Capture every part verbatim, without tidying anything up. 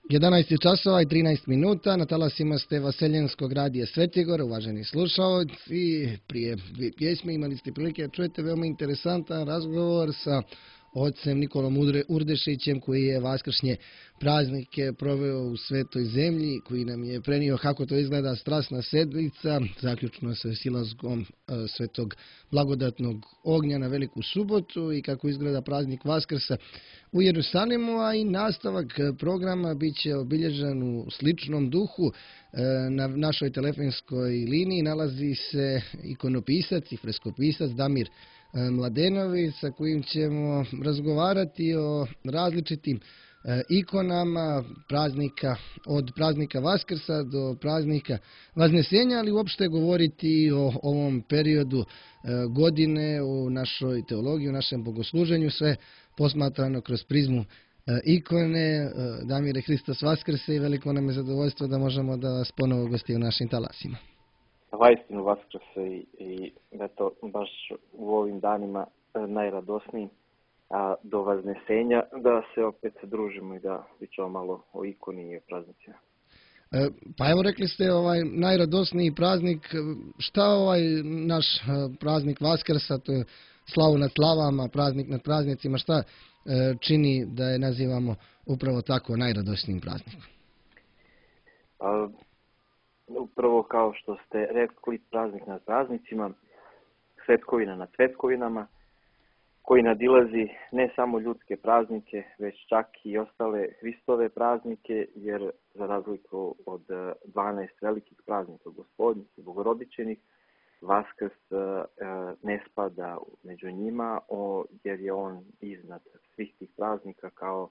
jedanaest časova i trinaest minuta, na talasima ste Vaseljenskog radija Svetigor, uvaženi slušalci. Prije dvije pjesme imali ste prilike da čujete veoma interesantan razgovor sa ocem Nikolom Urdešićem, koji je vaskršnje praznike proveo u Svetoj zemlji, koji nam je prenio kako to izgleda strasna sedmica, zaključno sa silazgom Svetog blagodatnog ognja na Veliku subotu i kako izgleda praznik Vaskrsa u Jerusalimu, a i nastavak programa bit će obilježen u sličnom duhu. Na našoj telefonskoj liniji nalazi se ikonopisac i freskopisac Damir Mladenović, sa kojim ćemo razgovarati o različitim ikonama praznika, od praznika Vaskrsa do praznika Vaznesenja, ali uopšte govoriti o ovom periodu godine u našoj teologiji, u našem bogosluženju, sve posmatrano kroz prizmu ikone. Damire, Hristos Vaskrse, i veliko nam je zadovoljstvo da možemo da vas ponovo gosti u našim talasima. Vaistinu Vaskrse i, i eto, baš u ovim danima najradosniji a, do Vaznesenja, da se opet družimo i da pričamo malo o ikoni i o praznicima. E, pa evo, rekli ste ovaj najradosniji praznik. Šta ovaj naš praznik Vaskrsa, to je slavu nad slavama, praznik nad praznicima, šta e, čini da je nazivamo upravo tako najradosnijim praznikom? A, Upravo kao što ste rekli, praznik nad praznicima, svetkovina nad svetkovinama, koji nadilazi ne samo ljudske praznike, već čak i ostale Hristove praznike, jer za razliku od dvanaest velikih praznika Gospodnjih i Bogorodičenih, Vaskrs ne spada među njima, jer je on iznad svih tih praznika kao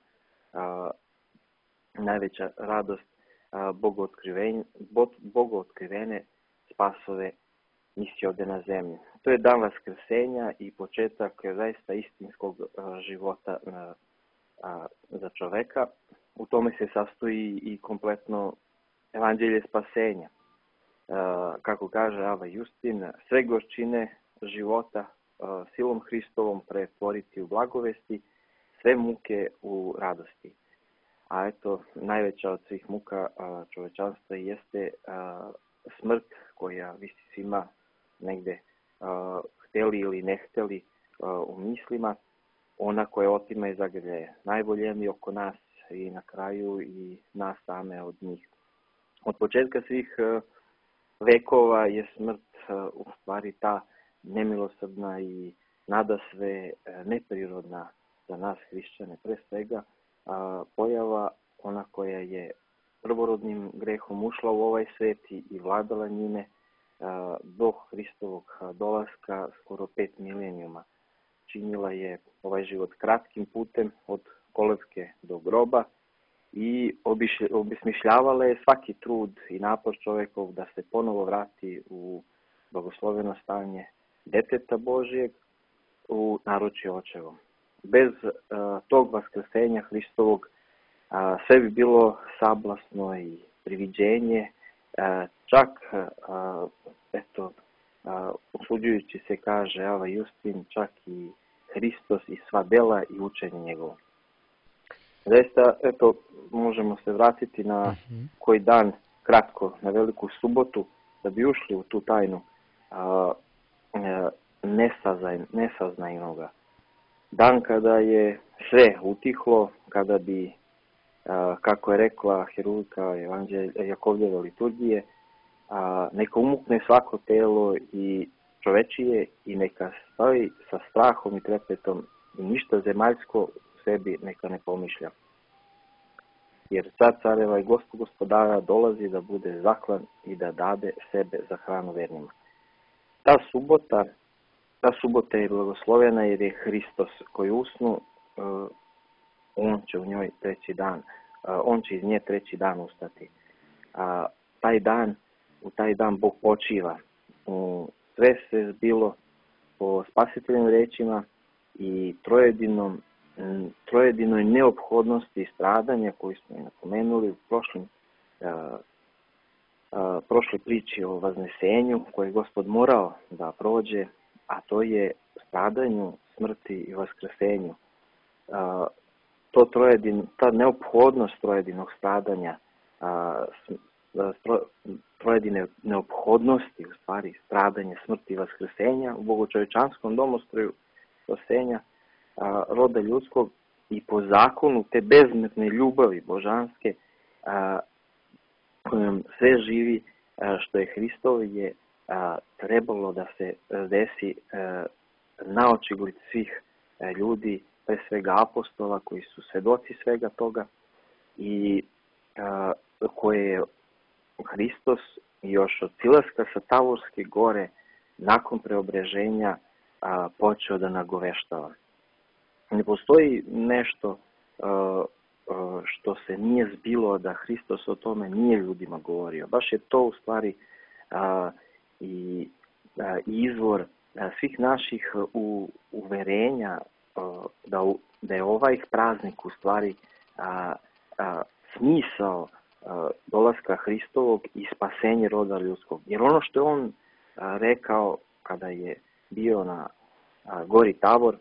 najveća radost bogootkrivene spasove misije ovdje na zemlji. To je dan Vaskrsenja i početak zaista istinskog života za čoveka. U tome se sastoji i kompletno evanđelje spasenja. Kako kaže Ava Justin, sve gorčine života silom Hristovom pretvoriti u blagovesti, sve muke u radosti. A eto, najveća od svih muka čovečanstva jeste smrt, koja visi svima negde hteli ili ne hteli u mislima, ona koja otima i zagrljaje najvoljeni oko nas i na kraju i nas same od njih. Od početka svih vekova je smrt u stvari ta nemilosrdna i nadasve neprirodna za nas hrišćane, pre svega pojava, ona koja je prvorodnim grehom ušla u ovaj svet i vladala njime do Hristovog dolaska skoro pet milenijuma. Činila je ovaj život kratkim putem od kolevke do groba i obesmišljavala je svaki trud i napor čovekov da se ponovo vrati u blagosloveno stanje deteta Božijeg u naručje očevom. Bez uh, tog vaskrsenja Hristovog uh, sve bi bilo sablasno i priviđenje, uh, čak, uh, eto, uh, usuđujući se, kaže Ava Justin, čak i Hristos i sva dela i učenje njegovo. Zaista, eto, možemo se vratiti na uh-huh. koji dan, kratko, na Veliku subotu, da bi ušli u tu tajnu uh, uh, nesazaj, nesaznajnoga. Dan kada je sve utihlo, kada bi, kako je rekla herujka Jakovljeve liturgije, neka umukne svako telo i čovečije i neka stoji sa strahom i trepetom i ništa zemaljsko u sebi neka ne pomišlja. Jer car careva i Gospod gospodara dolazi da bude zaklan i da dade sebe za hranu vernima. Ta subota Ta subota je blagoslovena jer je Hristos koji usnu, on će u njoj treći dan, on će iz nje treći dan ustati. A taj dan, u taj dan Bog počiva. Sve se zbilo po spasiteljnim rečima i trojedinom, trojedinoj neophodnosti stradanja koju smo i napomenuli u prošlim, a, a, prošloj priči o Vaznesenju koje je Gospod morao da prođe, a to je stradanju, smrti i vaskrsenju. to trojedin, ta neophodnost trojedinog stradanja, a, stro, trojedine neophodnosti, u stvari stradanje, smrti i vaskrsenja u bogočovečanskom domostroju spasenja a, roda ljudskog i po zakonu te bezmerne ljubavi božanske a, kojom sve živi a, što je Hristovo je a, trebalo da se desi a, na očigled svih a, ljudi, pre svega apostola koji su svedoci svega toga i a, koje je Hristos još od silaska sa Tavorske gore nakon preobreženja a, počeo da nagoveštava. Ne postoji nešto a, a, što se nije zbilo da Hristos o tome nije ljudima govorio. Baš je to u stvari a, i a, izvor a, svih naših u, uverenja a, da, u, da je ovaj praznik u stvari a, a, smisao a, dolaska Hristovog i spasenje roda ljudskog. Jer ono što je on a, rekao kada je bio na a, gori Tabor,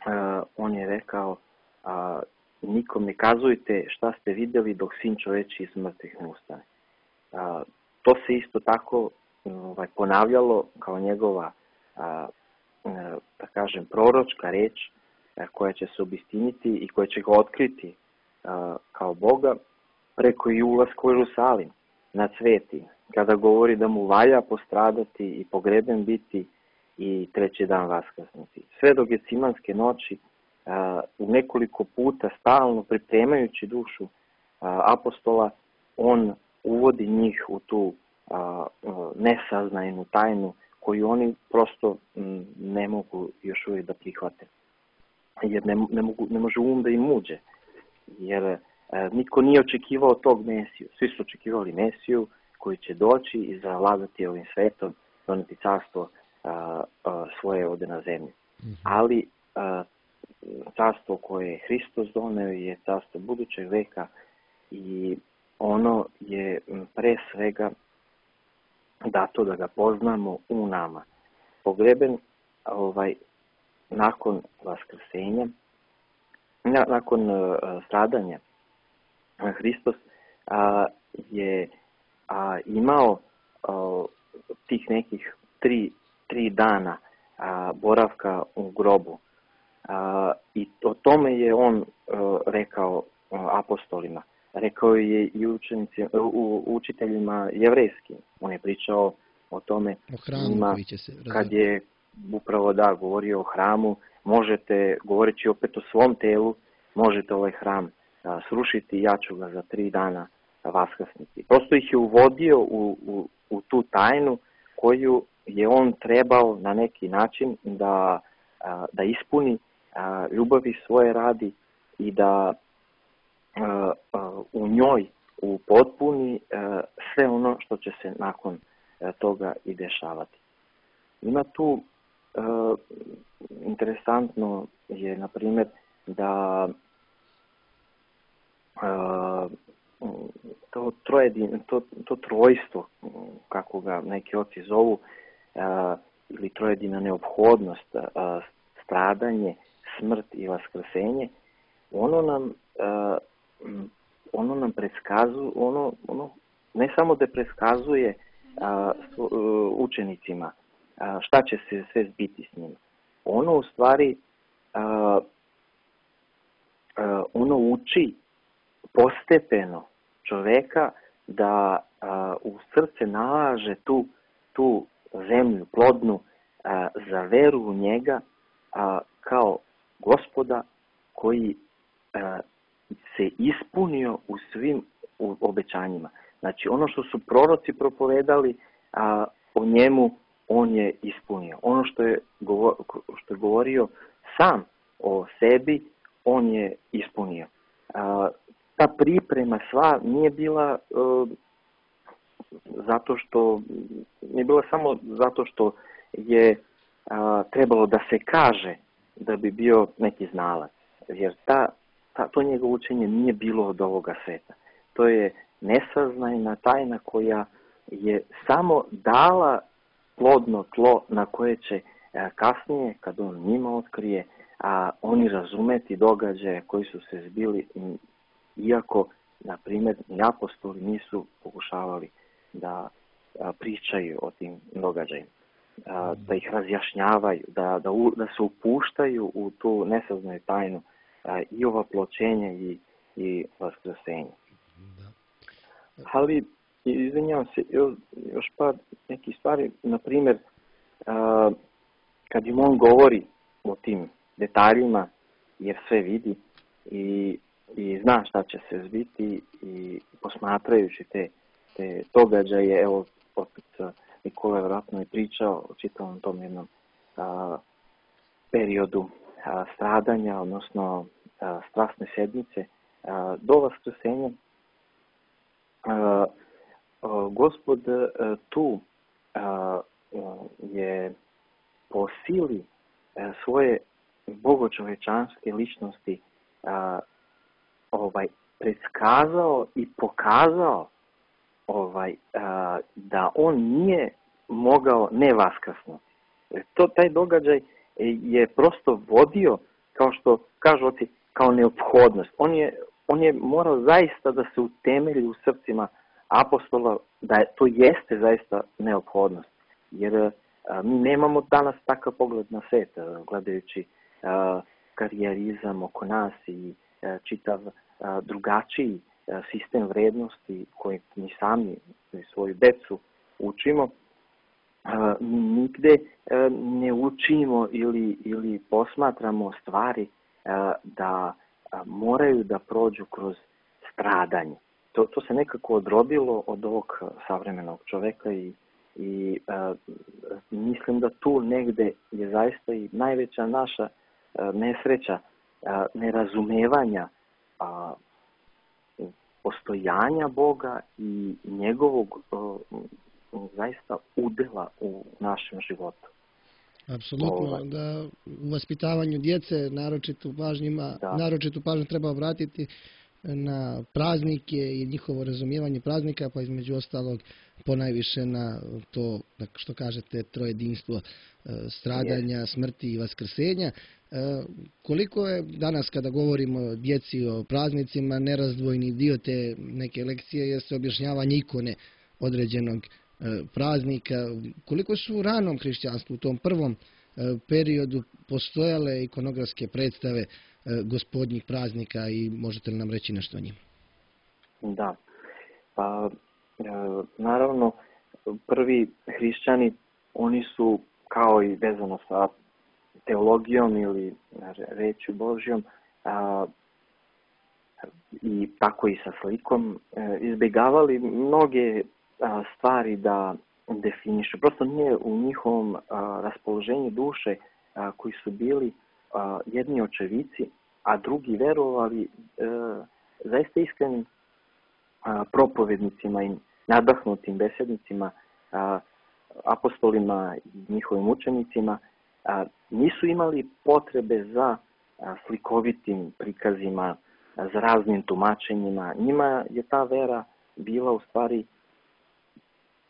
a, on je rekao a, nikom ne kazujte šta ste vidjeli dok sin čoveči iz mrtvih ne ustane. A, to se isto tako ovaj, ponavljalo kao njegova a, a, da kažem proročka reč a, koja će se obistiniti i koja će ga otkriti a, kao Boga preko i ulaska u Jerusalim na sveti, kada govori da mu valja postradati i pogreben biti i treći dan vaskrsnuti. Sve do Gecimanske noći a, u nekoliko puta stalno pripremajući dušu a, apostola, on uvodi njih u tu a, a, nesaznajnu tajnu koju oni prosto m, ne mogu još uvijek da prihvate. Jer ne, ne, mogu, ne može um da im uđe. Jer a, niko nije očekivao tog Mesiju. Svi su očekivali Mesiju koji će doći i zavladati ovim svetom, doneti carstvo a, a, svoje ovde na zemlji. Mm-hmm. Ali a, carstvo koje je Hristos doneo je carstvo budućeg veka i ono je pre svega dato da ga poznamo u nama. Pogreben ovaj, nakon vaskrsenja, na, nakon uh, stradanja, Hristos a, je a, imao a, tih nekih tri, tri dana a, boravka u grobu. A, I o tome je on a, rekao a, apostolima. Rekao je i učenici, u, učiteljima jevrejskim. On je pričao o tome o hramu njima, koji će se razviti. Kad je upravo da govorio o hramu, možete, govoreći opet o svom telu, možete ovaj hram a, srušiti i ja ću ga za tri dana vaskrsniti. Prosto ih je uvodio u, u, u tu tajnu koju je on trebao na neki način da, a, da ispuni, a, ljubavi svoje radi i da a, a, u njoj upotpuni a, sve ono što će se nakon a, toga i dešavati. Ima tu a, interesantno je, na primjer, da a, to, trojedin, to, to trojstvo, kako ga neki oci zovu, a, ili trojedina neophodnost, a, stradanje, smrt i vaskrsenje, ono nam, a, ono nam predskazuje, ono, ono ne samo da predskazuje a, s, a, učenicima a, šta će se sve zbiti s njima. Ono u stvari a, a, ono uči postepeno čoveka da a, u srce nalaže tu, tu zemlju plodnu a, za veru u njega a, kao Gospoda koji a, se ispunio u svim u obećanjima. Znači ono što su proroci propovedali a, o njemu, on je ispunio. Ono što je, govor, što je govorio sam o sebi, on je ispunio. A, ta priprema sva nije bila uh, zato što nije bila samo zato što je uh, trebalo da se kaže da bi bio neki znalac, jer ta, ta, to njegovo učenje nije bilo od ovoga sveta. To je nesaznajna tajna koja je samo dala plodno tlo na koje će uh, kasnije, kad on njima otkrije, a, oni razumeti događaje koji su se zbili, iako, na primjer, ni apostoli nisu pokušavali da a, pričaju o tim događajima, a, da ih razjašnjavaju, da, da, u, da se upuštaju u tu nesaznaju tajnu a, i ovaploćenja i, i vaskrsenja. Ali, izvinjavam se, još par nekih stvari, na primjer, a, kad im on govori o tim detaljima, jer sve vidi i, i zna šta će se zbiti, i posmatrajući te, te događaje, evo, opet Nikola je vjerojatno i pričao o čitavom tom jednom a, periodu a, stradanja, odnosno a, strasne sedmice, a, do vaskrsenja. A, a, Gospod a, tu a, a, je po sili a, svoje bogočovečanske ličnosti a, ovaj, predskazao i pokazao ovaj, a, da on nije mogao ne vaskrsnuti. To, taj događaj je prosto vodio, kao što kažu oci, kao neophodnost. On je, on je morao zaista da se utemelji u srcima apostola, da to jeste zaista neophodnost. Jer a, mi nemamo danas takav pogled na svet, a, gledajući a, karijerizam oko nas i a, čitav a, drugačiji a, sistem vrednosti koji mi sami i svoju decu učimo. A, mi nigde a, ne učimo ili, ili posmatramo stvari a, da a, moraju da prođu kroz stradanje. To, to se nekako odrodilo od ovog savremenog čoveka i, i a, mislim da tu negde je zaista i najveća naša a, nesreća, a, nerazumevanja a, postojanja Boga i njegovog a, zaista udela u našem životu. Apsolutno, Ovaj. da u vaspitavanju djece naročitu pažnjima, Da. naročitu pažnju treba obratiti na praznike i njihovo razumijevanje praznika, pa između ostalog ponajviše na to, što kažete, trojedinstvo e, stradanja, smrti i vaskrsenja. E, koliko je danas, kada govorimo o djeci, o praznicima, nerazdvojni dio te neke lekcije jeste objašnjavanje ikone određenog e, praznika, koliko su u ranom hrišćanstvu, u tom prvom e, periodu, postojale ikonografske predstave gospodnjih praznika i možete li nam reći nešto o njima? Da. Pa, e, naravno, prvi hrišćani, oni su, kao i vezano sa teologijom ili rečju Božjom, a, i tako i sa slikom, e, izbjegavali mnoge a, stvari da definišu. Prosto nije u njihovom a, raspoloženju duše a, koji su bili a, jedni očevici, a drugi verovali e, zaista iskrenim a, propovednicima i nadahnutim besednicima, a, apostolima i njihovim učenicima, a, nisu imali potrebe za a, slikovitim prikazima, a, za raznim tumačenjima. Njima je ta vera bila u stvari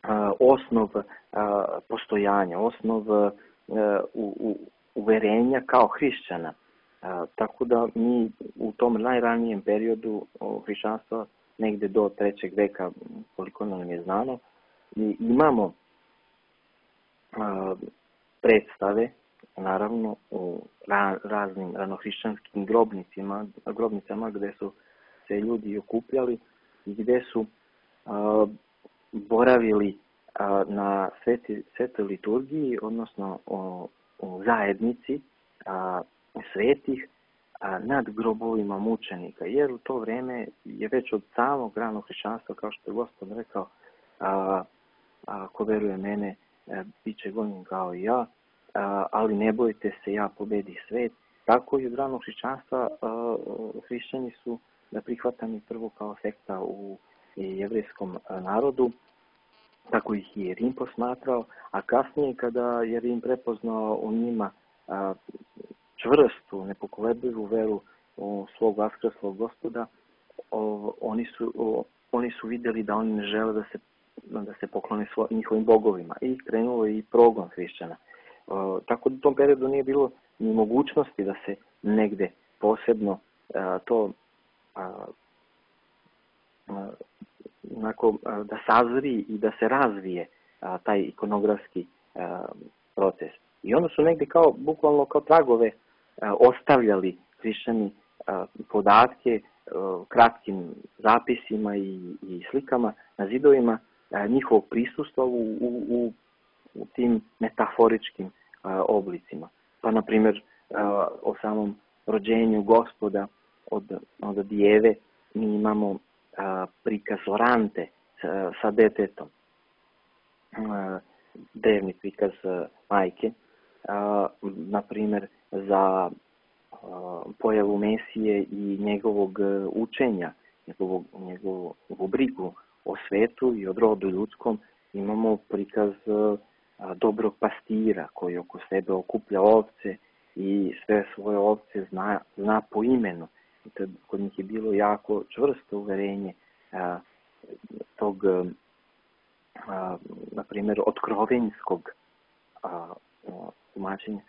a, osnov a, postojanja, osnov a, u, u, uverenja kao hrišćana. A, tako da mi u tom najranijem periodu hrišćanstva, negde do trećeg veka, koliko nam je znano, i imamo a, predstave, naravno, u ra, raznim ranohrišćanskim grobnicima, grobnicama gde su se ljudi okupljali i gde su a, boravili a, na sveti, svetoj liturgiji, odnosno o, o zajednici a, svetih a, nad grobovima mučenika. Jer u to vreme je već od samog ranog hrišćanstva, kao što je Gospod rekao, a, a, ko veruje mene, a, bit će gonjen kao i ja, a, ali ne bojte se, ja pobedi svet. Tako i od ranog hrišćanstva a, hrišćani su da prihvatani prvo kao sekta u jevrejskom narodu, tako ih je Rim posmatrao, a kasnije kada je Rim prepoznao u njima a, čvrstu, nepokolebljivu veru u svog vaskrslog Gospoda, o, oni, su, o, oni su vidjeli da oni ne žele da se, da se poklone svo, njihovim bogovima i krenulo i progon hrišćana. O, tako da u tom periodu nije bilo ni mogućnosti da se negde posebno a, to a, a, onako, a, da sazri i da se razvije a, taj ikonografski a, proces. I onda su negde kao, bukvalno kao tragove a, ostavljali hrišćani a, podatke a, kratkim zapisima i, i slikama na zidovima a, njihovog prisustva u, u, u, u tim metaforičkim a, oblicima. Pa, na primjer, a, o samom rođenju Gospoda od, od Dijeve mi imamo a, prikaz Orante sa, sa detetom, a, drevni prikaz a, majke, a, na primjer za a, pojavu Mesije i njegovog učenja, njegovog, njegovu brigu o svetu i o rodu ljudskom, imamo prikaz a, dobrog pastira koji oko sebe okuplja ovce i sve svoje ovce zna, zna po imenu. I to kod njih je bilo jako čvrsto uverenje a, tog, a, na primjer, otkrovenjskog tumačenja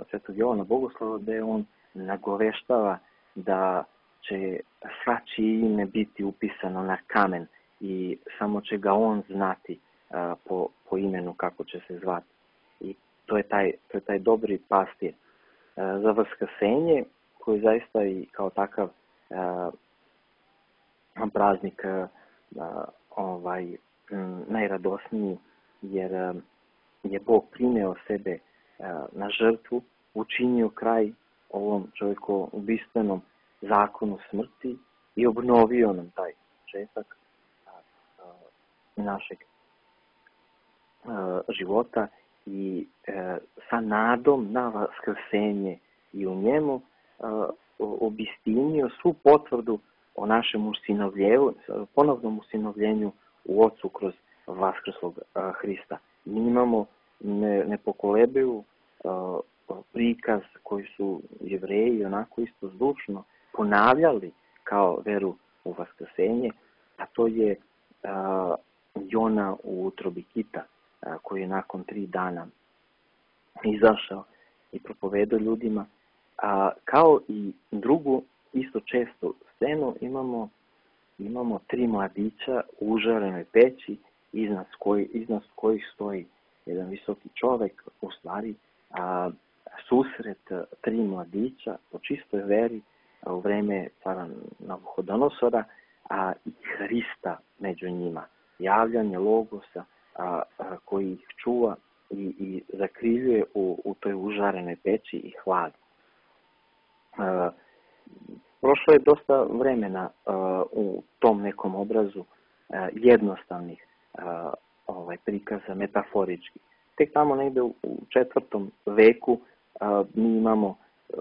Svetog Jovana Bogoslova, gde on nagoveštava da će svačije ime biti upisano na kamen i samo će ga on znati a, po, po imenu kako će se zvati. I to je taj, to je taj dobri pastir. A, za Vaskrsenje, koji zaista i kao takav a, praznik a, ovaj, m, najradosniji, jer a, je Bog primeo sebe a, na žrtvu, učinio kraj ovom čovjekoubistvenom zakonu smrti i obnovio nam taj početak našeg života i sa nadom na vaskrsenje i u njemu obistinio svu potvrdu o našem usinovljenju, ponovnom usinovljenju u Otcu kroz vaskrslog Hrista. Mi imamo nepokolebivu prikaz koji su Jevreji onako isto zdušno ponavljali kao veru u vaskrsenje, a to je a, Jona u utrobi kita, a, koji je nakon tri dana izašao i propovedao ljudima. A, kao i drugu isto često scenu imamo, imamo tri mladića u užarenoj peći iznad, koji, iznad kojih stoji jedan visoki čovjek, u stvari a, susret tri mladića po čistoj veri u vreme cara Navuhodonosora, a i Hrista među njima. Javljanje Logosa a, a, koji ih čuva i, i zakriljuje u, u toj užarenoj peći i hladi. A, prošlo je dosta vremena a, u tom nekom obrazu a, jednostavnih a, ovaj, prikaza metaforički. Tek tamo negde u, u četvrtom veku a, mi imamo a,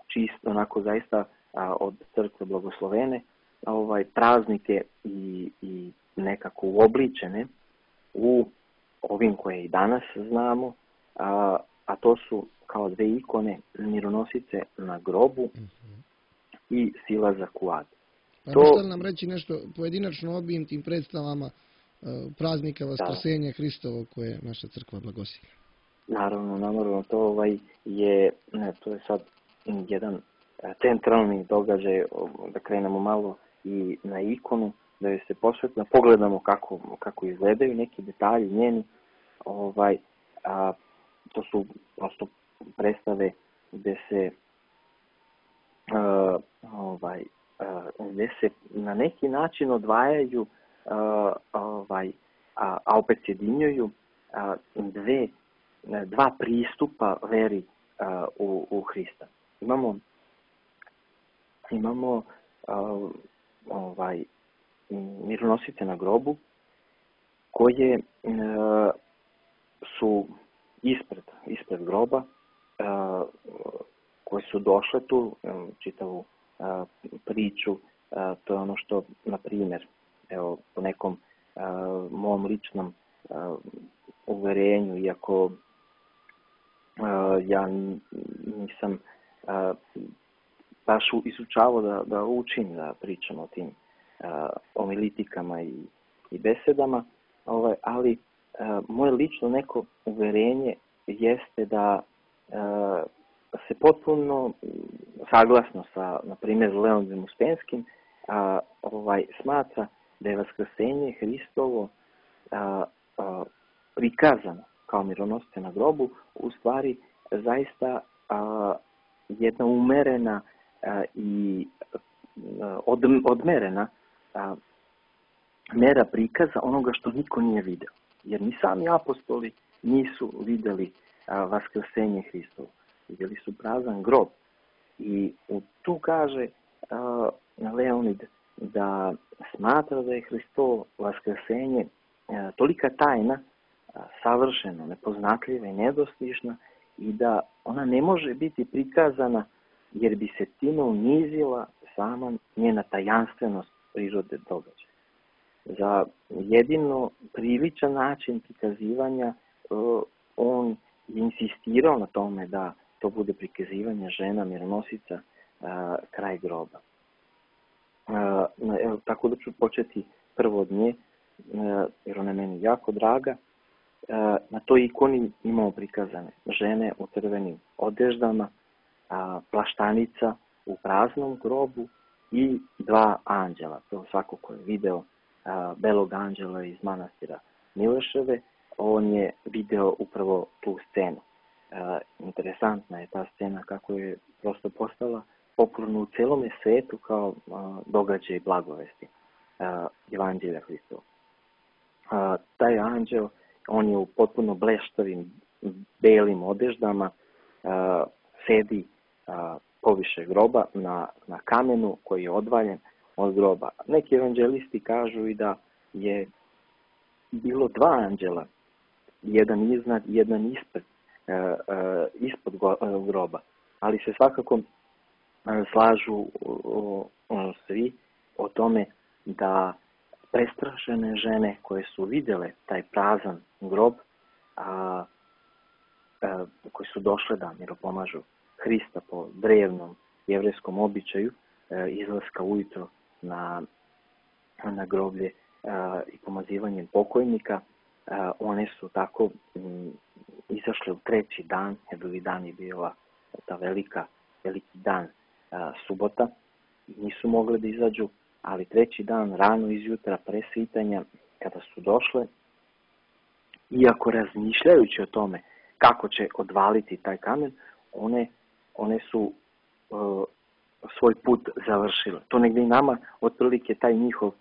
čisto onako zaista a, od crkve blagoslovene ovaj, praznike i, i nekako uobličene u ovim koje i danas znamo, a, a to su kao dve ikone mironosice na grobu mm-hmm. i silazak u ad. Pa to... možete li nam reći nešto pojedinačno obim tim predstavama praznika Vaskrsenja Hristovog koje naša crkva blagoslivlja? Naravno, naravno, to ovaj je, ne, to je sad jedan centralni događaj, da krenemo malo i na ikonu, da joj se posvetno pogledamo kako, kako izgledaju neki detalji njeni, ovaj, a, to su prosto predstave gde se a, ovaj, a, gde se na neki način odvajaju a, ovaj, a, a opet sjedinjuju a, dve, dva pristupa veri a, u, u Hrista. Imamo imamo a, ovaj, mironosice na grobu koje a, su ispred, ispred groba, a, koje su došle tu, čitavu a, priču, a, to je ono što, na primjer, evo, po nekom a, mom ličnom a, uverenju, iako a, ja nisam a, baš izučavao da, da učim, da pričam o tim a, omilitikama i, i besedama, ovaj, ali a, moje lično neko uverenje jeste da a, se potpuno saglasno sa, na primjer, Leonidom Uspenskim, a, ovaj, smatra da je vaskrsenje Hristovo a, a, prikazano kao mironosice na grobu, u stvari zaista a, jedna umerena a, i a, od, odmerena a, mera prikaza onoga što niko nije video. Jer ni sami apostoli nisu vidjeli a, vaskrsenje Hristovo. Vidjeli su prazan grob. I tu kaže a, Leonid da smatra da je Hristovo vaskrsenje a, tolika tajna, a, savršeno, nepoznatljiva i nedostižna i da ona ne može biti prikazana jer bi se time unizila sama njena tajanstvenost prirode događaja. Za jedino priličan način prikazivanja uh, on je insistirao na tome da to bude prikazivanje žena mironosica uh, kraj groba. Uh, evo, tako da ću početi prvo od nje, uh, jer ona je meni jako draga. Uh, na toj ikoni imamo prikazane žene u crvenim odeždama, uh, plaštanica u praznom grobu i dva anđela. To svako ko je video belog anđela iz manastira Mileševe, on je video upravo tu scenu. E, interesantna je ta scena kako je prosto postala popularna u celome svetu kao a, događaj blagovesti a, Evanđelja Hristova. A, taj anđel, on je u potpuno bleštavim belim odeždama, a, sedi a, poviše groba na, na kamenu koji je odvaljen od groba. Neki evanđelisti kažu i da je bilo dva anđela, jedan iznad, jedan ispred, e, e, ispod groba, ali se svakako slažu o, o, svi o tome da prestrašene žene koje su vidjele taj prazan grob, a, a, koji su došle da miropomažu Hrista po drevnom jevrejskom običaju, a, izlaska ujutro na, na groblje a, i pomazivanjem pokojnika, a, one su tako m, izašle u treći dan, jer drugi dan je bila ta velika, veliki dan a, subota, nisu mogle da izađu, ali treći dan, rano izjutra, pre svitanja, kada su došle, iako razmišljajući o tome kako će odvaliti taj kamen, one, one su uh, svoj put završile. To negdje i nama, otprilike, taj njihov uh,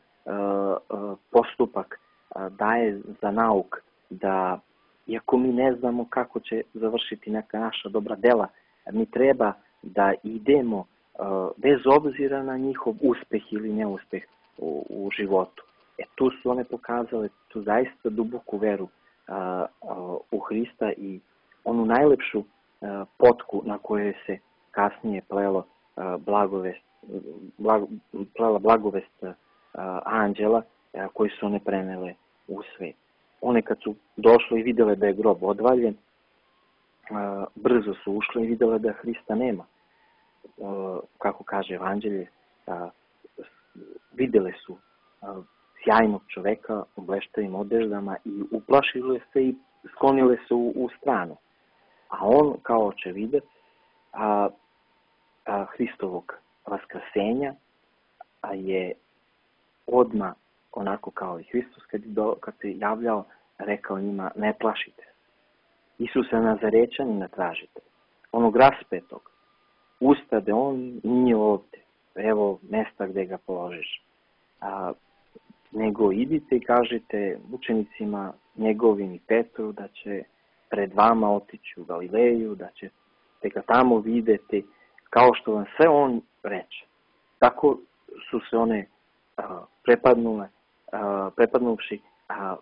uh, postupak uh, daje za nauk da, iako mi ne znamo kako će završiti neka naša dobra dela, mi treba da idemo uh, bez obzira na njihov uspeh ili neuspeh u, u životu. E, tu su one pokazale tu zaista duboku veru uh, uh, u Hrista i onu najlepšu uh, potku na kojoj se kasnije plelo uh, blagovest, blag, plela blagovest uh, anđela uh, koji su one prenele u svet. One kad su došle i vidjele da je grob odvaljen, uh, brzo su ušle i vidjele da Hrista nema. Uh, kako kaže Evanđelje, uh, vidjele su uh, sjajnog čoveka u bleštavim odeždama i uplašile se i sklonile se u, u stranu. A on, kao očevidac a, a, Hristovog vaskrsenja, a je odmah, onako kao i Hristos, kad, do, kad se javljao, rekao njima, ne plašite se. Isusa Nazarećanina tražite. Onog raspetog, ustade, on nije ovdje. Evo mjesta gdje ga položiš. A, nego idite i kažete učenicima njegovim i Petru da će pred vama otići u Galileju, da ćete ga tamo vidjeti, kao što vam sve on reče. Tako su se one a, prepadnule, a, prepadnuvši a,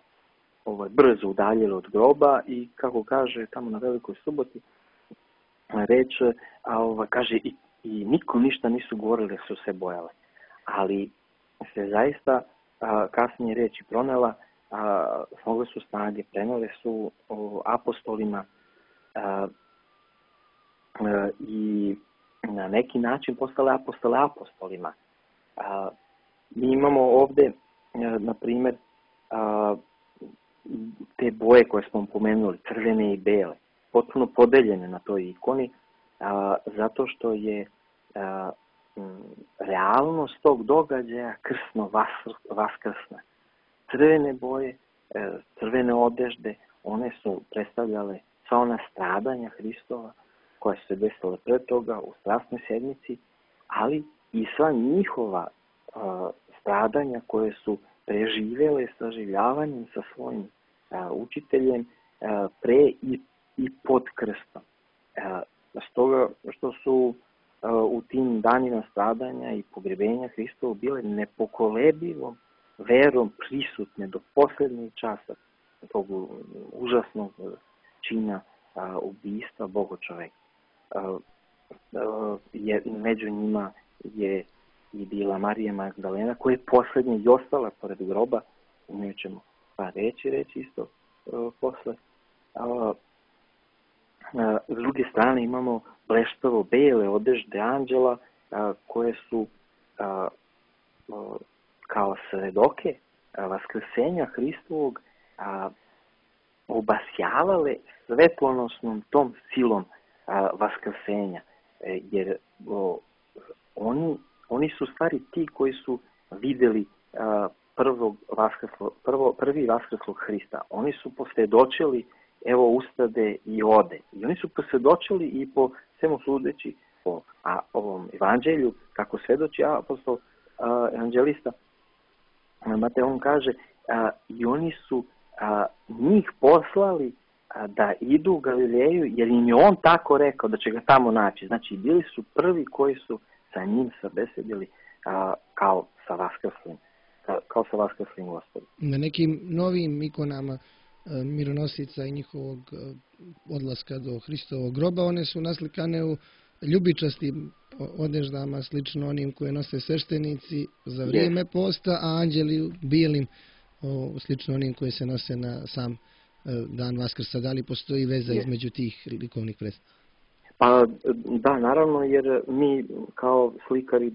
ovaj, brzo udaljile od groba i, kako kaže tamo na Velikoj suboti, reče, a, ovaj, kaže, i, i nikom ništa nisu govorili, su se bojale. Ali se zaista a, kasnije reći pronela, a, smogle su snage, prenele su o, apostolima a, a, i na neki način postale apostole apostolima. A, mi imamo ovdje, a, na primjer, a, te boje koje smo pomenuli, crvene i bele, potpuno podeljene na toj ikoni, a, zato što je a, m, realnost tog događaja krsno vaskrsna. Crvene boje, e, crvene odežde, one su predstavljale sva ona stradanja Hristova koja su se desila pre toga u strasnoj sedmici, ali i sva njihova a, stradanja koje su preživjele saživljavanjem sa svojim a, učiteljem a, pre i, i pod krstom. A, stoga što su a, u tim danima stradanja i pogrebenja Hristova bile nepokolebivom verom prisutne do posljednjeg časa tog užasnog čina a, ubistva Boga čoveka. A, a, je, među njima je i bila Marija Magdalena, koja je posljednja i ostala pored groba, u njoj ćemo pa reći, reći isto a, posle. A, a, s druge strane imamo bleštavo bele odežde anđela, a, koje su a, a, kao svedoke a, vaskrsenja Hristovog a, obasjavale svetlonosnom tom silom a, vaskrsenja, e, jer o, oni Oni su stvari ti koji su vidjeli a, prvog vaskrslo, prvo, prvi vaskrslog Hrista. Oni su posvjedočili, evo ustade i ode. I oni su posvjedočili i po svemu sudeći po a, ovom evanđelju, kako svedoči apostol a, evanđelista Matej, on kaže, a, i oni su a, njih poslali a, da idu u Galileju, jer im je on tako rekao da će ga tamo naći. Znači, bili su prvi koji su sa njim sabesedili a, kao sa vaskrslim, ka, kao sa vaskrslim Gospodom. Na nekim novim ikonama a, mironosica i njihovog a, odlaska do Hristovog groba, one su naslikane u ljubičastim odeždama, slično onim koje nose sveštenici za vrijeme yes. posta, a anđeli u bijelim, o, slično onim koje se nose na sam a, dan Vaskrsa. Da li postoji veza yes. između tih likovnih predstava? Pa da, naravno, jer mi kao slikari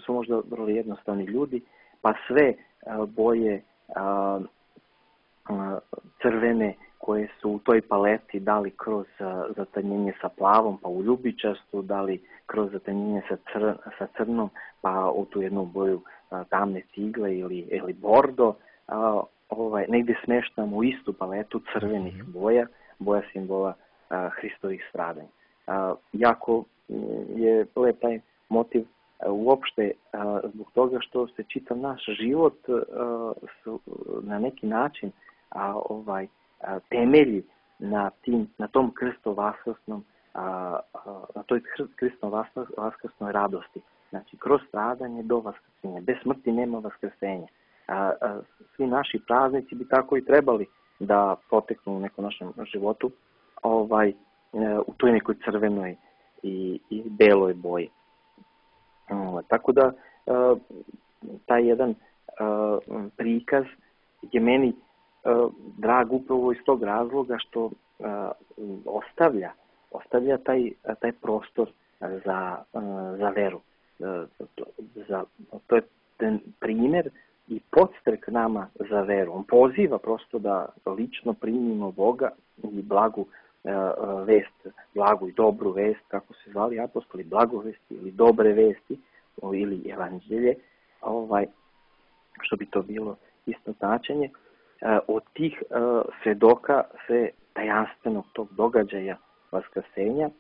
su možda vrlo jednostavni ljudi, pa sve a, boje a, a, crvene koje su u toj paleti, da li kroz a, zatanjenje sa plavom, pa u ljubičastu, da li kroz zatanjenje sa, cr, sa crnom, pa u tu jednu boju a, tamne cigle ili, ili bordo, a, ovaj, negdje smeštamo u istu paletu crvenih boja, boja simbola a, Hristovih stradanja. A, jako je lep taj motiv a, uopšte a, zbog toga što se čitav naš život a, su, na neki način a, ovaj, a, temelji na, tim, na tom krsto-vaskrsnom a, a, na toj krsto-vaskrsnoj radosti. Znači, kroz stradanje do vaskrsenja. Bez smrti nema vaskrsenja. A, a, svi naši praznici bi tako i trebali da poteknu u nekom našem životu, ovaj, u toj nekoj crvenoj i, i beloj boji. O, tako da, uh, taj jedan uh, prikaz je meni uh, drag upravo iz tog razloga što uh, ostavlja, ostavlja taj, taj prostor za, uh, za veru. Uh, to, za, to je ten primjer i podstrek nama za veru. On poziva prosto da lično primimo Boga i blagu vest, blagu i dobru vest, kako se zvali apostoli, blagovesti ili dobre vesti ili evanđelje, ovaj, što bi to bilo isto značenje. Od tih svedoka se tajanstvenog tog događaja vaskrsenja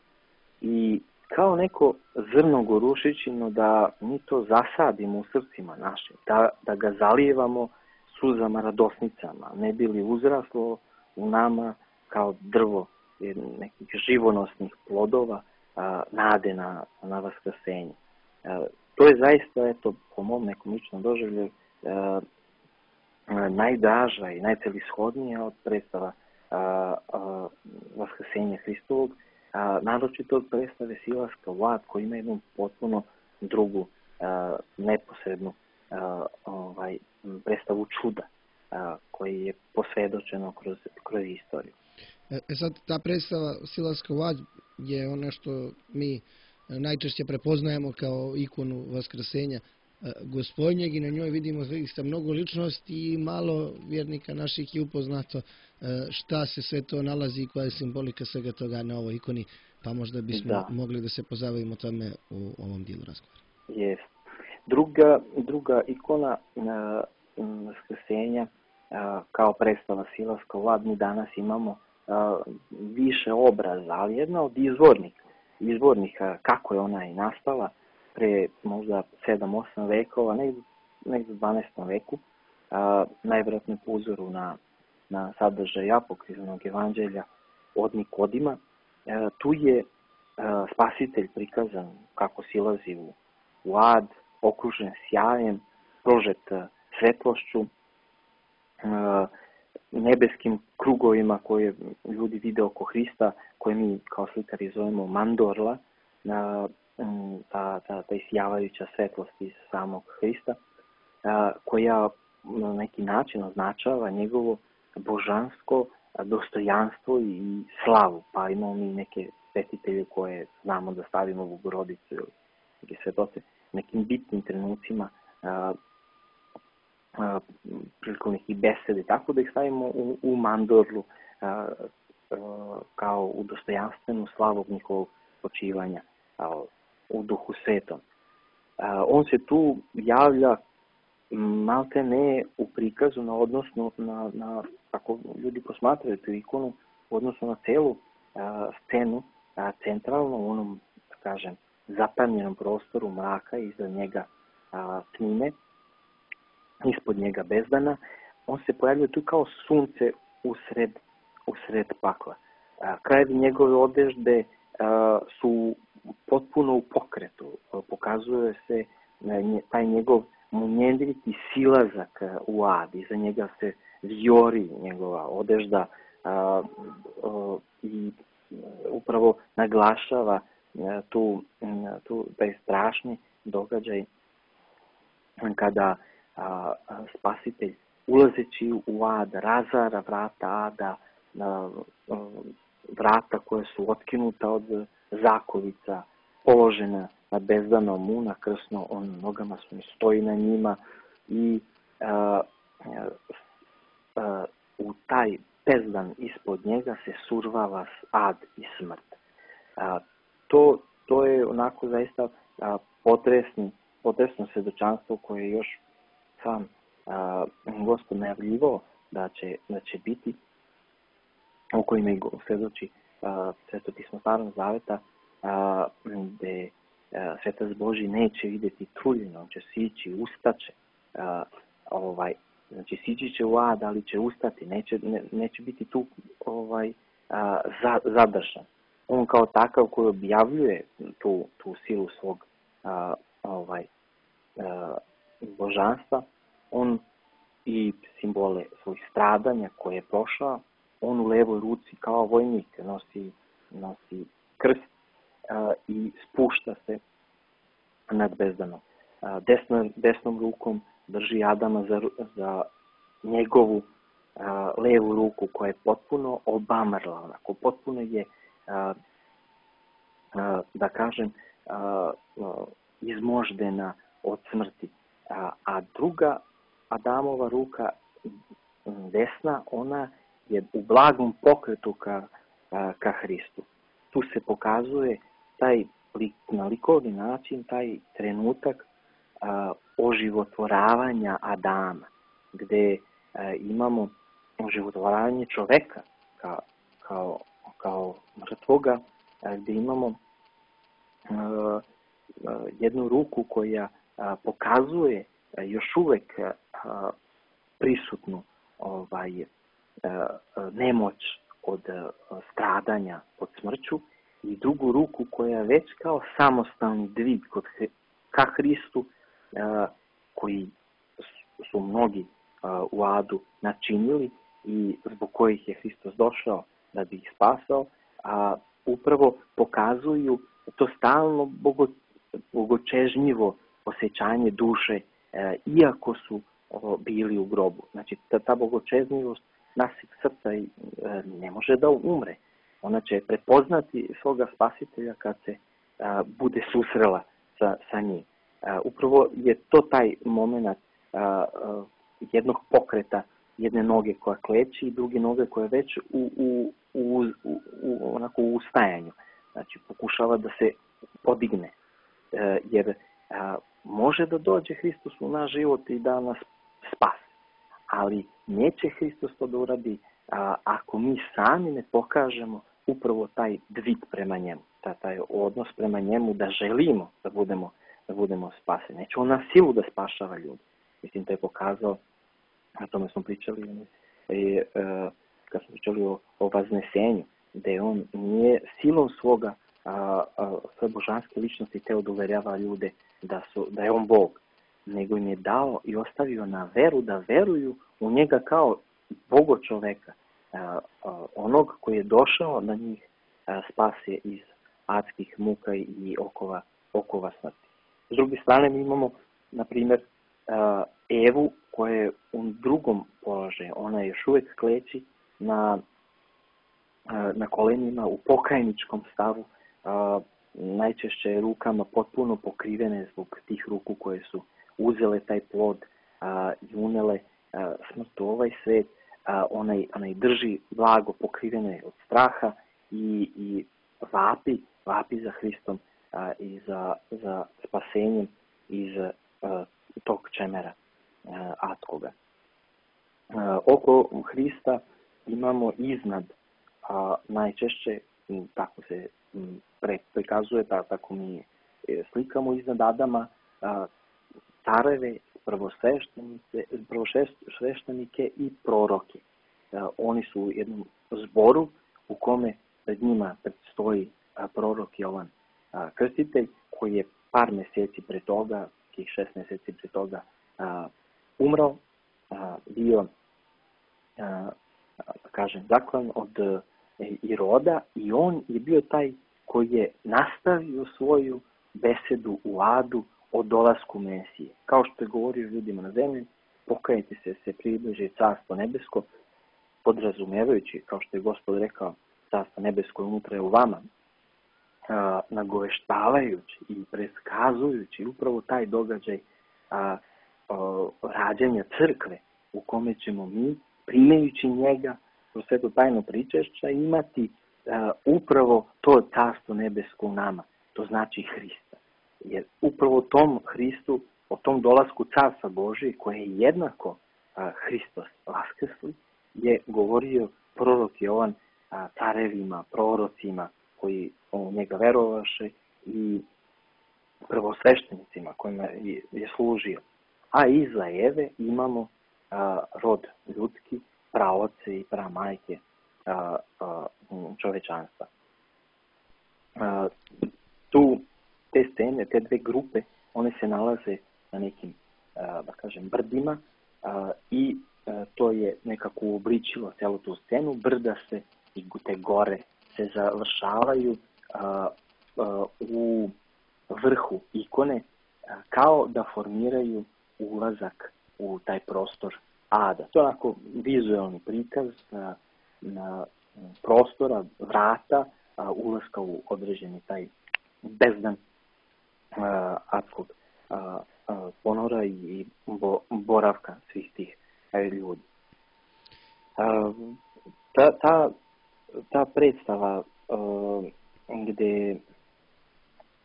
i kao neko zrno gorušićino da mi to zasadimo u srcima našim, da, da ga zalijevamo suzama radosnicama, ne bi li uzraslo u nama kao drvo nekih živonosnih plodova a, nade na, na vaskrsenje. A, to je zaista, eto, po mom nekom ličnom doživlju, a, a, najdraža i najcelishodnija od predstava a, a, vaskrsenja Hristovog, a, naročito od predstave Silaska u ad, koji ima jednu potpuno drugu, a, neposrednu a, ovaj, predstavu čuda, a, koji je posvjedočeno kroz, kroz istoriju. E sad, ta predstava Silaska u ad je ono što mi najčešće prepoznajemo kao ikonu vaskrsenja Gospodnjeg i na njoj vidimo zaista mnogo ličnosti i malo vjernika naših je upoznato šta se sve to nalazi i koja je simbolika svega toga na ovoj ikoni Pa možda bismo Da. mogli da se pozabavimo tome u ovom dijelu razgovora. Jest. Druga, druga ikona a, Vaskrsenja a, kao predstava silaska u ad, mi danas imamo a, više obraza, ali jedna od izvornih, izvornih a, kako je ona i nastala pre možda sedam osam vekova, negdje, negdje u dvanaestom veku, a, najvjerojatnije po uzoru na, na sadržaj apokrifnog evanđelja od Nikodima. A, tu je a, spasitelj prikazan kako silazi u, u ad, okružen sjajem, prožet svetlošću, nebeskim krugovima koje ljudi vide oko Hrista, koje mi kao slikari zovemo mandorla, ta, ta, ta isjavajuća svetlost iz samog Hrista, koja na neki način označava njegovo božansko dostojanstvo i slavu. Pa imamo mi neke svetitelje koje znamo da stavimo u Bogorodicu ili svetoce nekim bitnim trenucima a, a, prilikom nekih besede, tako da ih stavimo u, u mandorlu a, a, kao u dostojanstvenu slavu njihovog počivanja a, u Duhu Svetom. A, on se tu javlja malte ne u prikazu na odnosno na, na ako ljudi posmatraju tu ikonu u odnosu na celu a, scenu, a, centralno u onom, da kažem, zapanjenom prostoru mraka, iza njega a, tmine, ispod njega bezdana, on se pojavljuje tu kao sunce usred, usred pakla. A, krajevi njegove odežde a, su potpuno u pokretu, a, pokazuje se a, nje, taj njegov munjendriti silazak a, u ad, iza njega se vijori njegova odežda a, a, i upravo naglašava tu, tu taj strašni događaj kada a, a, spasitelj ulazeći u ad razara vrata ada, a, a, vrata koja su otkinuta od zakovica, položena na bezdano mu, na krsno, on nogama su stoji na njima i a, a, a, u taj bezdan ispod njega se survava ad i smrt. A, To, to je onako zaista a, potresni, potresno svjedočanstvo koje je još sam a, Gospod najavljivao da će, da će biti, o kojima i svjedoči Sveto pismo Starog Zaveta, a, gde a, Svetac Božji neće vidjeti truljeno, on će sići, ustaće, a, ovaj, znači sići će u ad, ali će ustati, neće, ne, neće biti tu ovaj, a, za, zadržan. On kao takav koji objavljuje tu, tu silu svog a, ovaj, a, božanstva, on i simbole svojih stradanja koje je prošao, on u levoj ruci kao vojnik nosi, nosi krst a, i spušta se nad bezdanom. A, desno, desnom rukom drži Adama za, za njegovu a, levu ruku koja je potpuno obamrla, onako potpuno je a, a, da kažem a, a, izmoždena od smrti. A, a druga Adamova ruka desna, ona je u blagom pokretu ka, a, ka Hristu. Tu se pokazuje taj na likovni način taj trenutak a, oživotvoravanja Adama, gdje a, imamo oživotvoravanje čoveka ka, kao, kao mrtvoga, a, gdje imamo a, a, jednu ruku koja a, pokazuje a, još uvek a, prisutnu ovaj, a, a, nemoć od a, stradanja, od smrću, i drugu ruku koja već kao samostalni dvig kod, ka Hristu, a, koji su mnogi a, u adu načinili i zbog kojih je Hristos došao da bi ih spasao, a upravo pokazuju to stalno bogo, bogočežnjivo osjećanje duše, a, iako su o, bili u grobu. Znači, ta, ta bogočežnjivost našeg srca i, a, ne može da umre. Ona će prepoznati svoga spasitelja kad se a, bude susrela sa, sa njim. A, upravo je to taj moment a, a, jednog pokreta, jedne noge koja kleči i druge noge koja je već u, u, u, u, u, onako u ustajanju. znači pokušava da se podigne, jer može da dođe Hristos u naš život i da nas spasi, ali neće Hristos to da uradi ako mi sami ne pokažemo upravo taj dvig prema njemu, taj odnos prema njemu da želimo da budemo, da budemo spaseni. Neće on na silu da spašava ljudi. Mislim, to je pokazao, na tome smo pričali, i, kad smo pričali o, o vaznesenju, da on nije silom svoga a, a, svoje božanske ličnosti teo da uverjava ljude da, su, da je on Bog, nego im je dao i ostavio na veru da veruju u njega kao Bogo čoveka, a, a, onog koji je došao na njih a, spasje iz adskih muka i okova, okova smrti. S druge strane mi imamo, na primjer, a, Evu koja je u drugom položaju. Ona je još uvijek kleči na, na kolenima u pokajničkom stavu, a, najčešće rukama potpuno pokrivene zbog tih ruku koje su uzele taj plod a, i unele a, smrt u ovaj svet. A, onaj, onaj drži blago pokrivene od straha i, i vapi, vapi za Hristom a, i za, za spasenjem iz a, tog čemera a, adskoga. A, oko Hrista imamo iznad, a, najčešće, tako se prikazuje, tako mi slikamo iznad Adama, a, careve, prvosveštenike i proroke. A, oni su u jednom zboru u kome pred njima predstoji a, prorok Jovan a, Krstitelj, koji je par mjeseci pre toga, tih šest mjeseci pre toga, a, umrao, a, bio, a, da kažem, zaklan od a, Iroda, i on je bio taj koji je nastavio svoju besedu u adu o dolasku Mesije. Kao što je govorio ljudima na zemlji, pokajte se, se približi Carstvo nebesko, podrazumevajući, kao što je Gospod rekao, Carstvo nebesko je unutra je u vama, a, nagoveštavajući i preskazujući upravo taj događaj a, a, rađanja crkve, u kome ćemo mi, primajući njega kroz sveto tajno pričešća, imati a, upravo to Carstvo nebesko u nama. To znači Hrista. Jer upravo o tom Hristu, o tom dolasku Carstva Božije, koje je jednako a, Hristos vaskrsli, je govorio prorok Jovan a, carevima, prorocima koji u njega verovaše i prvosveštenicima kojima je, je služio. A iza Eve imamo a, rod ljudski, praoce i pramajke a, a, čovečanstva. A, tu te scene, te dve grupe, one se nalaze na nekim, a, da kažem, brdima a, i a, to je nekako uobličilo celu tu scenu. Brda se i te gore se završavaju a, a, u vrhu ikone, a, kao da formiraju ulazak u taj prostor ada. To je onako vizualni prikaz a, na prostora, vrata, a, ulaska u određeni taj bezdan a, adskog a, a, ponora i bo, boravka svih tih a, ljudi. A, ta, ta, ta predstava a, gde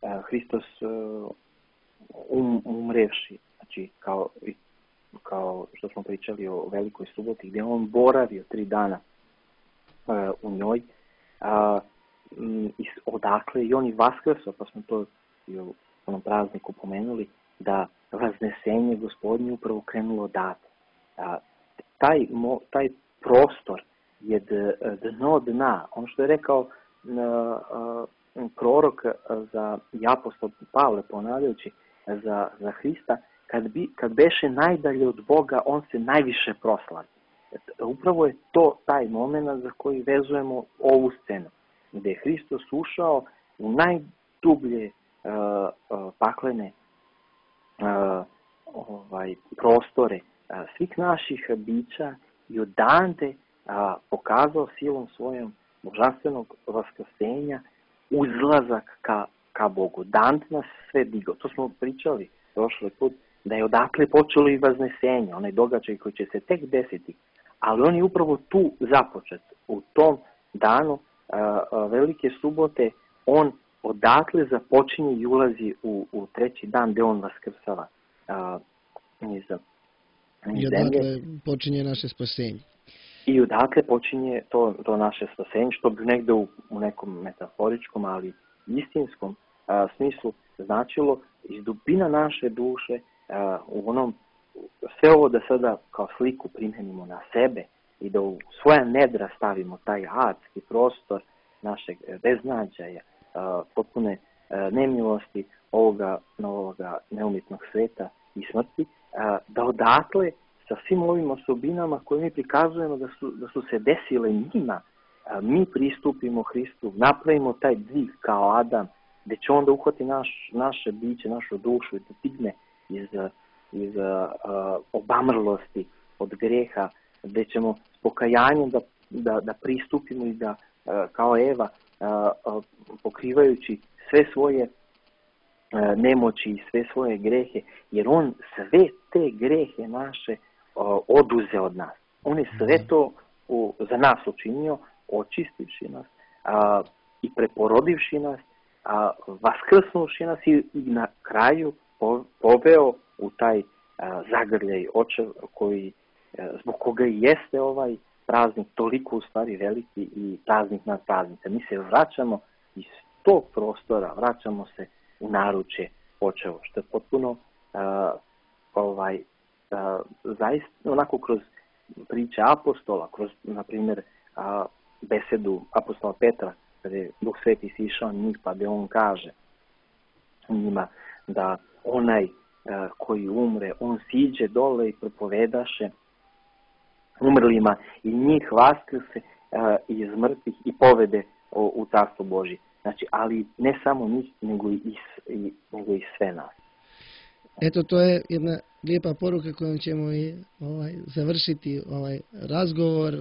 a, Hristos a, um, umrevši, znači kao, kao što smo pričali o Velikoj suboti, gdje on boravio tri dana a, u njoj, a, m, odakle i on i vaskrso, pa smo to i u onom prazniku pomenuli, da vaznesenje Gospodnje upravo krenulo odatle. A, taj, mo, taj prostor je dno dna. Ono što je rekao a, a, prorok za i apostol Pavle, ponavljajući za, za Hrista, kad, bi, kad beše najdalje od Boga, on se najviše proslavi. Upravo je to taj moment za koji vezujemo ovu scenu, gdje je Hristos ušao u najdublje uh, uh, paklene uh, ovaj, prostore uh, svih naših bića i odande uh, pokazao silom svojom božanstvenog vaskrsenja uzlazak ka, ka Bogu. Dant nas sve digao. To smo pričali prošli put, da je odatle počelo i vaznesenje, onaj događaj koji će se tek desiti. Ali on je upravo tu započet, u tom danu a, a, Velike subote, on odatle započinje i ulazi u, u treći dan gdje on vaskrsava uh, iz, iz I odatle počinje naše spasenje. I odatle počinje to, to naše spasenje, što bi negdje u, u nekom metaforičkom, ali istinskom a, smislu značilo iz dubina naše duše, a, u onom, sve ovo da sada kao sliku primjenimo na sebe i da u svoja nedra stavimo taj adski prostor našeg beznađaja, a, potpune a, nemilosti ovoga novoga neumitnog sveta i smrti, a, da odatle sa svim ovim osobinama koje mi prikazujemo da su, da su se desile njima, a, mi pristupimo Hristu, napravimo taj dvig kao Adam, gdje će onda uhvati naš, naše biće, našu dušu i da digne iz, iz a, a, obamrlosti od greha, gdje ćemo s pokajanjem da, da, da pristupimo i da, a, kao Eva, a, a, pokrivajući sve svoje a, nemoći i sve svoje grehe, jer on sve te grehe naše oduze od nas. On je sve to u, za nas učinio, očistivši nas a, i preporodivši nas, a, vaskrsnuši nas i, i na kraju po, poveo u taj a, zagrljaj očev koji, a, zbog koga i jeste ovaj praznik toliko u stvari veliki i praznik nad praznica. Mi se vraćamo iz tog prostora, vraćamo se u naručje očevo, što je potpuno a, ovaj Uh, zaista onako kroz priče apostola, kroz, na primjer, uh, besedu apostola Petra, kada je Duh Sveti sišao njih, pa gdje on kaže njima da onaj uh, koji umre, on siđe dole i propovedaše umrlima i njih vaskrse uh, iz mrtvih i povede u, u Carstvo Božje. Znači, ali ne samo njih, nego i, i, nego i sve nas. Eto, to je jedna lijepa poruka kojom ćemo i ovaj, završiti ovaj razgovor,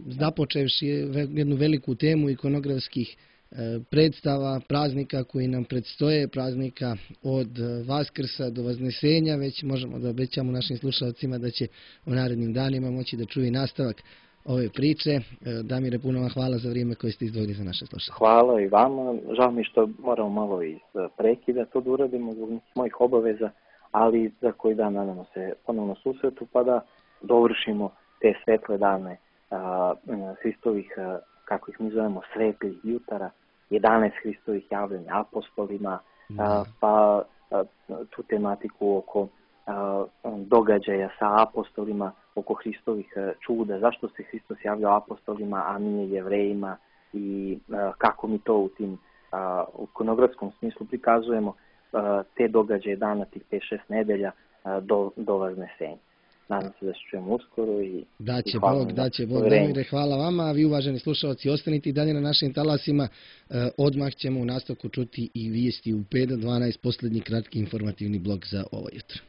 započevši jednu veliku temu ikonografskih e, predstava, praznika koji nam predstoje, praznika od Vaskrsa do Vaznesenja. Već možemo da obećamo našim slušalcima da će u narednim danima moći da čuju nastavak ove priče. E, Damire, puno vam hvala za vrijeme koje ste izdvojili za naše slušalce. Hvala i vama. Žao mi što moramo malo i prekida to da uradimo zbog mojih obaveza, ali za koji dan nadamo se ponovno susretu, pa da dovršimo te svetle dane a, Hristovih, a, kako ih mi zovemo, svetlih jutara, jedanaest Hristovih javljanja apostolima, a, pa a, tu tematiku oko a, događaja sa apostolima, oko Hristovih a, čuda, zašto se Hristos javljao apostolima, a nije Jevrejima i a, kako mi to u tim a, u ikonografskom smislu prikazujemo te događaje dana tih pet šest nedelja do, do Vaznesenja. Nadam se da se čujemo uskoro i daće i Bog, daće Bog. Damire, hvala vama, a vi uvaženi slušalci ostanite i dalje na našim talasima. E, odmah ćemo u nastavku čuti i vijesti u pet do dvanaest, posljednji kratki informativni blok za ovo jutro.